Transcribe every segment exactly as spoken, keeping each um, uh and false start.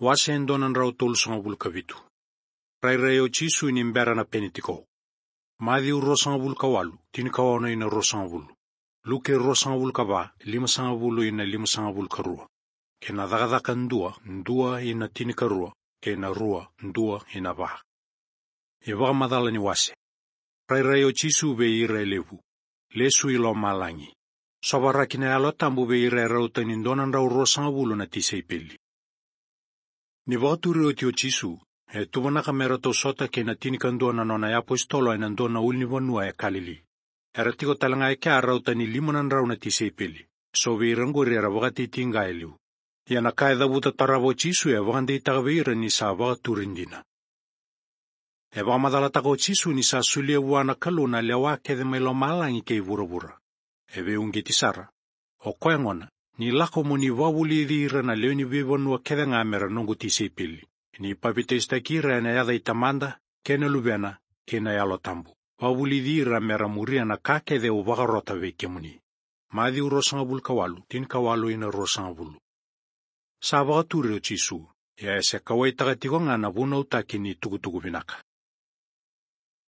Wase e dua na drau tolusagavulu ka vitu. Rairai o Jisu ni bera na Penitiko. Maciu ruasagavulu ka walu, tinikaono ina ruasagavulu. Luke ruasagavulu ka va, limasagavulu ina limasagavulu ka rua. Kei na Cakacaka dua, dua ina tinikarua, kei na rua, dua ina va. iVakamacala ni wase. Rairai o Jisu vei ira e levu. Lesu i lomalagi. Sovaraki na Yalo Tabu vei ira e rauta ni dua na drau ruasagavulu na tisaipeli. Ni vakaturi oti o Jisu, e tuvanaka me ratou sota kei na tinikadua na nona iapositolo ena dua na ulunivanua e Kalili. Era tiko tale ga e kea rauta ni lima na drau na tisaipeli. So vei ira oqori era vakatitiqa e liu. Ia na ka e cavuta tarava o Jisu e vakadeitaka vei ira ni sa vakaturi dina. E vakamacalataka o Jisu ni sa solia vua na Kalou na lewa kece mai lomalagi kei vuravura. E veiuqeti sara. O koya gona, ni lako mo ni vakavulici ira na lewe ni veivanua kece ga mera noqu tisaipeli. Ni papitaisotaki ira ena yaca i Tamada, kei na Luvena, kei na Yalo Tabu. Vakavulici ira mera muria na ka kece au vakarota vei kemuni. Maciu ruasagavulu ka walu, tinikawalu ina ruasagavulu. Sa vakaturi o Jisu, ia e se kauwaitaka tiko ga na vunautaki ni tukutuku vinaka.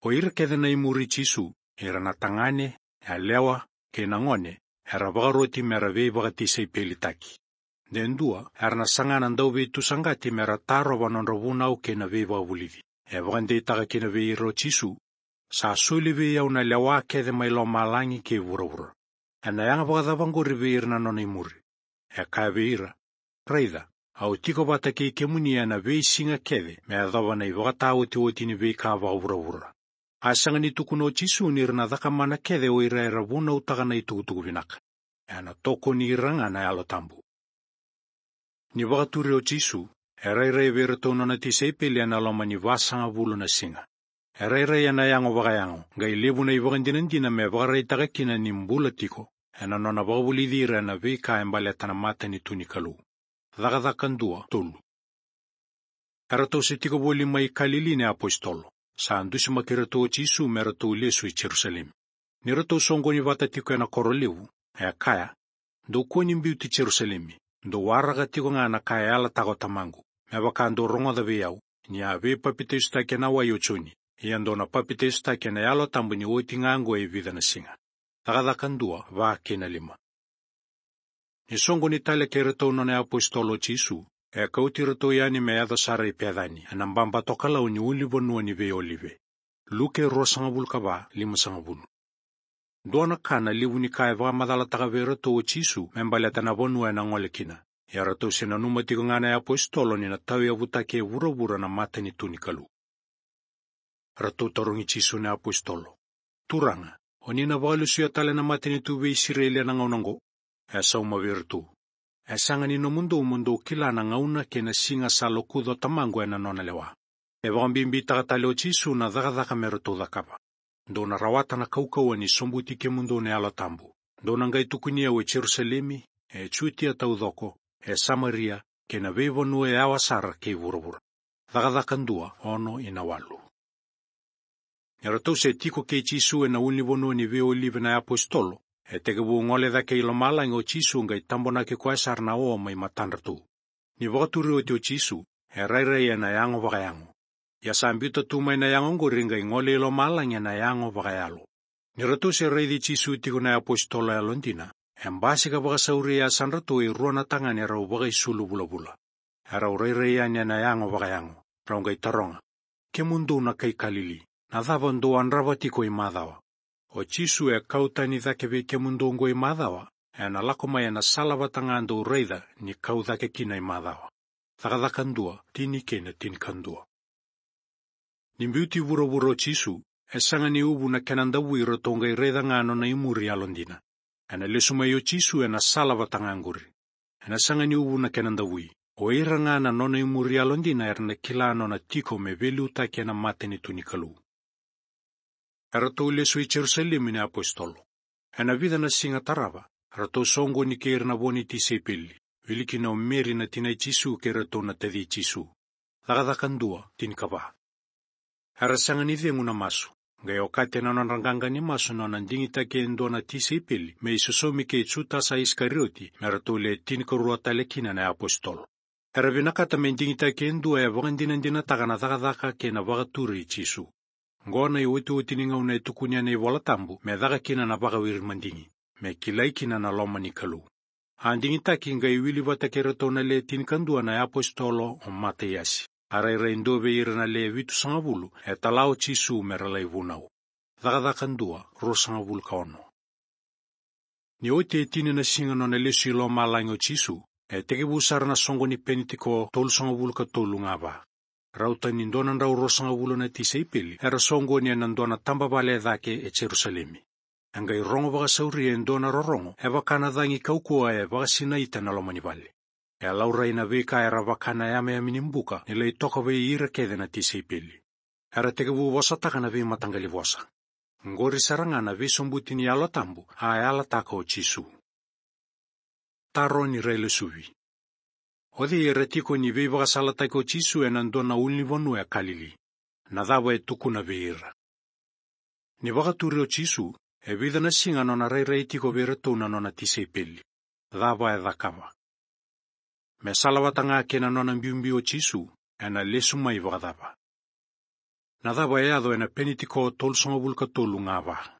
O ira kece na imuri Jisu, ira na tagane, yalewa, kei na gone, era vakaroti mera veivakatisaipelitaki. De dua, era na saga na dauveitusaqati mera tarova nodra vunau kei na veivakavulici. E vakadeitaka kina vei ira o Jisu, sa soli vei au na lewa kece mai lomalagi kei vuravura. Ena yaga vakacava oqori vei ira na nona imuri? E kaya vei ira, raica, au tiko vata kei kemuni ena veisiga kece me yacova na ivakataotioti ni veika vakavuravura. A sega ni tukuna o Jisu ni ra na cakamana kece o ira era vunautaka na itukutuku vinaka. Ena tokoni ira ga na Yalo Tabu. Ni vakaturi o Jisu, e rairai vei iratou nona tisaipeli ena loma ni vasagavulu na siga. E rairai ena yago vakayago, qai levu na ivakadinadina me vakaraitaka kina ni bula tiko, ena nona vakavulici ira ena veika e baleta na matanitu ni Kalou. Cakacaka dua, tolu. Eratou se tiko voli mai Kalili na iapositolo. Sa dusimaki iratou o Jisu me ratou lesu i Jerusalemi. Ni ratou soqoni vata tiko ena koro levu, e kaya, dou kua ni biuti Jerusalemi, dou waraka tiko ga na ka e yalataka o Tamaqu, me vaka dou rogoca vei au, ni a veipapitaisotaki ena wai o Joni, ia dou na papitaisotaki ena Yalo Tabu ni oti ga oqo e vica na siga. Cakacaka dua, va kei na lima. Ni soqoni tale kei iratou nona iapositolo o Jisu, e kauti iratou yani me yaco sara i Pecani, ena baba tokalau ni ulunivanua ni veiolive. Luke ruasagavulu ka va, limasagavulu. Dua na ka na levu ni ka e vakamacalataka vei iratou o Jisu me baleta na vanua ena gole kina. Ia ratou se nanuma tiko ga na iapositolo ni na tauyavutaki e vuravura na matanitu ni Kalou. Ratou tarogi Jisu na iapositolo, Turaga, o ni na vakalesuya tale na matanitu vei Isireli ena gauna oqo? E sauma vei iratou, e sega ni nomudou mo dou kila na gauna kei na siga sa lokuca o Tamaqu ena nona lewa. E vakabibitaka tale o Jisu na cakacaka me ratou cakava. Dou na rawata na kaukauwa ni sobuti kemudou na Yalo Tabu. Dou na qai tukuni au e Jerusalemi, e Jutia taucoko, e Samaria, kei na veivanua e yawa sara kei vuravura. Cakacaka dua, ono ina walu. Ni ratou se tiko kei Jisu ena ulunivanua ni veiolive na iapositolo, e tekivu gole cake i lomalagi o Jisu qai tabonaki koya sara na o mai matadratou. Ni vakaturi oti o Jisu, e rairai ena yago vakayago. Ia sa biuta tu mai na yago oqori qai gole i lomalagi ena yago vakayalo. Ni ratou se raici Jisu tiko na iapositolo yalodina, e basika vakasauri e yasadratou e rua na tagane rau vakaisulu vulavula. Erau rairai yani ena yago vakayago, rau qai taroga, kemudou na kai Kalili, na cava dou yadrava tiko i macawa? O Jisu e kau tani cake vei kemudou oqo i macawa, ena lako mai ena sala vata ga dou raica ni kau cake kina i macawa. Cakacaka dua, tini kei na tinikadua. Ni biuti vuravura o Jisu, e sega ni uvu na kena davui ratou qai raica ga nona imuri yalodina. Ena lesu mai o Jisu ena sala vata ga oqori. Ena sega ni uvu na kena davui. O ira ga na nona imuri yalodina era na kila nona tiko me veiliutaki ena matanitu ni Kalou. Eratou lesu i Jerusalemi na iapositolo. Ena vica na siga tarava, ratou soqoni kei ira na vo ni tisaipeli, wili kina o Meri na tinai Jisu kei iratou na taci Jisu. Cakacaka dua, tinikava. Era sega ni cegu na masu, qai okati ena nodra qaqa ni masu nona digitaki e dua na tisaipeli me isosomi kei Jutasa Isikarioti, me ratou le tinikarua tale kina na iapositolo. Era vinakata me digitaki e dua e vakadinadinataka na cakacaka kei na vakaturi i Jisu. Qo na iotioti ni gauna e tukuni ena iVola Tabu me caka kina na vakawiri madigi, me kilai kina na loma ni Kalou. A digitaki qai wili vata kei iratou na le tinikadua na iapositolo o Mataiasi, a rairai dua vei ira na le vitusagavulu e tala o Jisu me ra lai vunau. Cakacaka dua, ruasagavulu ka ono. Ni oti e tini na siga nona lesu i lomalagi o Jisu, e tekivu sara na soqo ni Penitiko tolusagavulu ka tolu ga va. Rauta ni dua na drau ruasagavulu na tisaipeli era soqoni ena dua na tabavale e cake e Jerusalemi. E qai rogo vakasauri e dua na rorogo e vaka na cagi kaukauwa e vakasinaita na loma ni vale. E laurai na veika era vaka na yameyame ni buka ni lai toka vei ira kece na tisaipeli. Era tekivu vosataka na veimataqali vosa. Qori sara ga na veisobuti ni Yalo Tabu a yalataka o Jisu. Taro ni railesuvi. O cei era tiko ni veivakasalataki o Jisu ena dua na ulunivanua e Kalili? Na cava e tukuna vei ira? Ni vakaturi o Jisu, e vica na siga nona rairai tiko vei iratou na nona tisaipeli. Cava e cakava? Me salavata ga kei na nona biubiu o Jisu, ena lesu mai vakacava? Na cava e yaco ena Penitiko tolusagavulu ka tolu ga va?